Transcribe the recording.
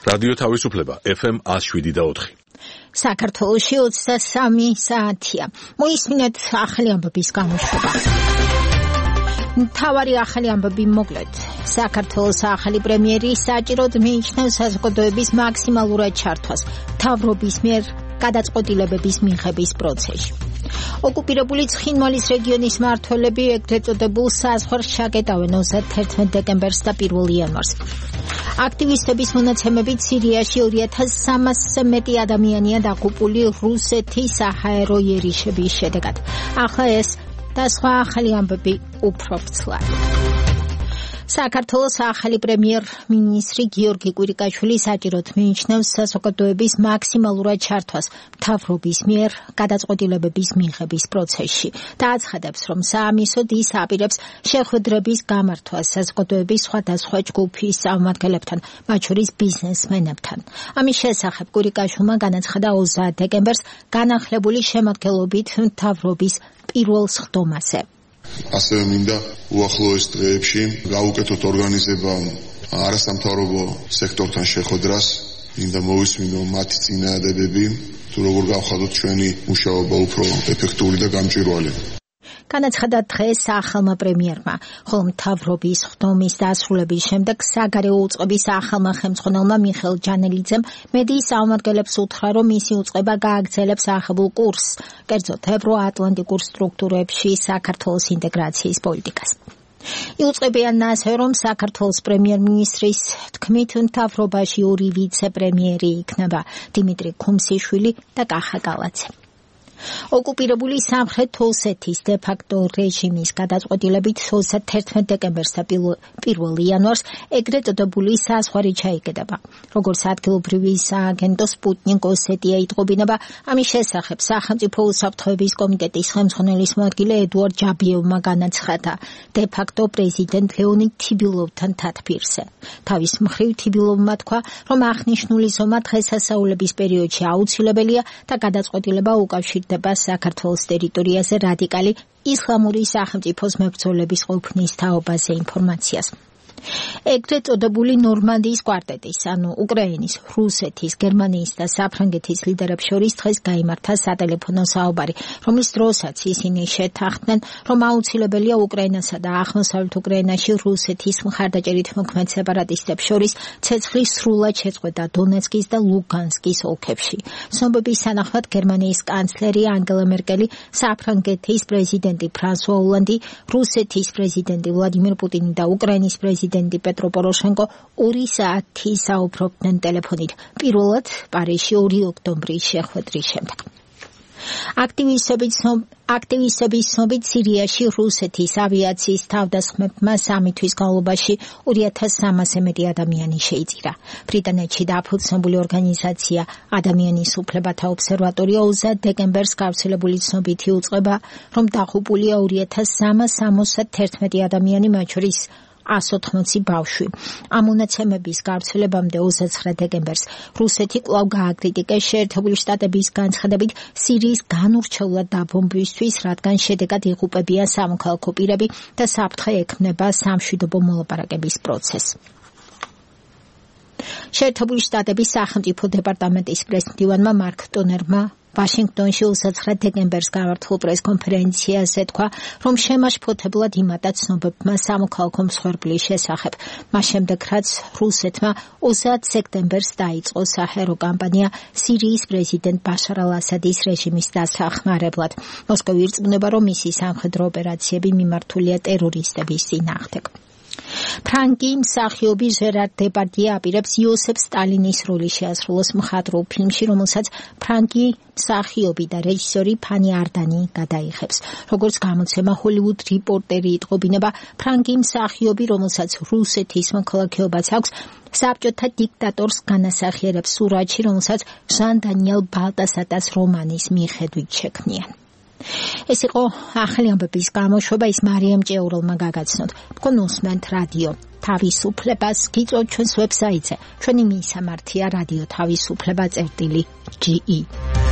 რადიო თავისუფლება FM 107.4. საქართველოში 23 საათია. მოისმინეთ ახალი ამბების გამოშვება. მთავარი ახალი ამბები მოკლედ. საქართველოს ახალი პრემიერი საჭიროდ მიიჩნევს საზოგადოების მაქსიმალურად ჩართვას მთავრობის მიერ გადაწყვეტილებების მიღების პროცესში. ოკუპირებული ცხინვალის რეგიონის მმართველები ეგრეთ წოდებულ საზღვარს ჩაკეტავენ 31 დეკემბერს და 1 იანვარს. აქტივისტების მონაცემებით სირიაში 2300-ზე მეტი ადამიანია დაღუპული რუსეთის საჰაერო იერიშების შედეგად. ახლა ეს და სხვა ახალი ამბები უფრო ვრცლად. საქართველოს ახალი პრემიერ-მინისტრი გიორგი კვირიკაშვილი საჭიროდ მიიჩნევს საზოგადოების მაქსიმალურად ჩართვას მთავრობის მიერ გადაწყვეტილებების მიღების პროცესში და აცხადებს, რომ საამისოდ ის აპირებს შეხვედრების გამართვას საზოგადოების სხვადასხვა ჯგუფის წარმომადგენლებთან, მათ შორის ბიზნესმენებთან. ამის შესახებ კვირიკაშვილმა განაცხადა 20 დეკემბერს განახლებული შემადგენლობით მთავრობის პირველ სხდომაზე. ასევე მინდა უახლოეს დღეებში გავუკეთოთ ორგანიზება არასამთავრობო სექტორთან შეხვედრას, მინდა მოვისმინო მათი წინააღმდეგები, თუ როგორ გავხადოთ ჩვენი მუშაობა უფრო ეფექტური და გამჭვირვალე. განაცხადა დღეს ახალმა პრემიერმა, ხოლო მთავრობის სხდომის დასრულების შემდეგ საგარეო უწყების ახალმა ხელმძღვანელმა მიხეილ ჯანელიძემ მედიის წარმომადგენლებს უთხრა, რომ მისი უწყება გააგრძელებს აღებულ კურსს, კერძოდ ევროატლანტიკურ სტრუქტურებში საქართველოს ინტეგრაციის პოლიტიკას. იუწყებიან ასევე, რომ საქართველოს პრემიერ-მინისტრის თქმით მთავრობაში 2 ვიცე-პრემიერი იქნება, დიმიტრი ქუმსიშვილი და კახა კალაძე. ოკუპირებული სამხრეთ ოსეთის დე-ფაქტო რეჟიმის გადაწყვეტილებით 31 დეკემბერს და 1 იანვარს ეგრეთ წოდებული საზღვარი ჩაიგდება. როგორც ადგილობრივი სააგენტო სპუტნიკ ოსეტია იტყობინება, ამის შესახებ სახელმწიფო უსაფრთხოების კომიტეტის ხელმძღვანელის მოადგილე ედუარდ ჯაბიევმა განაცხადა დე-ფაქტო პრეზიდენტ ლეონიდ თიბილოვთან თათბირზე. თავის მხრივ თიბილოვმა თქვა, რომ აღნიშნული ზომა დღესასწაულების პერიოდში აუცილებელია და გადაწყვეტილება უკავშირდება საქართველოს ტერიტორიაზე რადიკალი ისლამური სახელმწიფოს მებრძოლების ყოფნის თაობაზე ინფორმაციას. ეგრეთ წოდებული ნორმანდიის კვარტეტის, ანუ უკრაინის, რუსეთის, გერმანიის და საფრანგეთის ლიდერებს შორის დღეს გაიმართა სატელეფონო საუბარი, რომლის დროსაც ისინი შეთანხმდნენ, რომ აუცილებელია უკრაინასა და აღმოსავლეთ უკრაინაში რუსეთის მხარდაჭერით მოქმედ სეპარატისტებს შორის ცეცხლის სრულად შეწყვეტა დონეცკის და ლუგანსკის ოლქებში. ცნობების თანახმად გერმანიის კანცლერი ანგელა მერკელი, საფრანგეთის პრეზიდენტი ფრანსუა ოლანდი, რუსეთის პრეზიდენტი ვლადიმირ პუტინი და უკრაინის პრეზიდენტი პეტრო პოროშენკო 2 საათი საუბრობდნენ ტელეფონით, პირველად პარიზში 2 ოქტომბრის შეხვედრის შემდეგ. აქტივისტების ცნობით სირიაში რუსეთის ავიაციის თავდასხმებმა 3 თვის განმავლობაში 2300-ზე მეტი ადამიანი შეიწირა. ბრიტანეთში დაფუძნებული ორგანიზაცია ადამიანის უფლებათა ობსერვატორია 20 დეკემბერს გავრცელებული ცნობითი უწყება, რომ დაღუპულია 2371 ადამიანი, მათ შორის 180 ბავშვი. ამ მონაცემების გავრცელებამდე 29 დეკემბერს რუსეთი კვლავ გააკრიტიკეს შეერთებული შტატების განცხადებით სირიის განურჩევლად დაბომბვისთვის, რადგან შედეგად იღუპებიან სამოქალაქო პირები და საფრთხე ექმნება სამშვიდობო მოლაპარაკების პროცესს. შეერთებული შტატების სახელმწიფო დეპარტამენტის პრეს-მდივანმა მარკ ტონერმა ვაშინგტონში 29 დეკემბერს გამართულ პრეს-კონფერენციაზე თქვა, რომ შემაშფოთებლად იმატა ცნობებმა სამოქალაქო მსხვერპლის შესახებ. მას შემდეგ, რაც რუსეთმა 20 სექტემბერს დაიწყო საჰაერო კამპანია სირიის პრეზიდენტ ბაშარ ალ-ასადის რეჟიმის დასახმარებლად. მოსკოვი ირწმუნება, რომ მისი სამხედრო ოპერაციები მიმართულია ტერორისტების წინააღმდეგ. ფრანკი მსახიობი ჟერარ დებარდიე აპირებს იოსებ სტალინის როლი შეასრულოს მხატვრულ ფილმში, რომელსაც ფრანკი მსახიობი და რეჟისორი ფანი არდანი გადაიღებს. როგორც გამოცემა ჰოლივუდ რიპორტერი იტყობინება, ფრანკი მსახიობი, რომელსაც რუსეთის მოქალაქეობაც აქვს, საბჭოთა დიქტატორს განასახიერებს სურათში, რომელსაც ჟან დანიელ ბალტასატას რომანის მიხედვით შექმნიან. ეს იყო ახალი ამბების გამოშვება, ის მარიამ ჭეურელმა გაგაცნოთ. თქვენ უსმენთ რადიო თავისუფლებას, გიწევთ ჩვენს ვებსაიტზე. ჩვენი მისამართია რადიო თავისუფლება.ge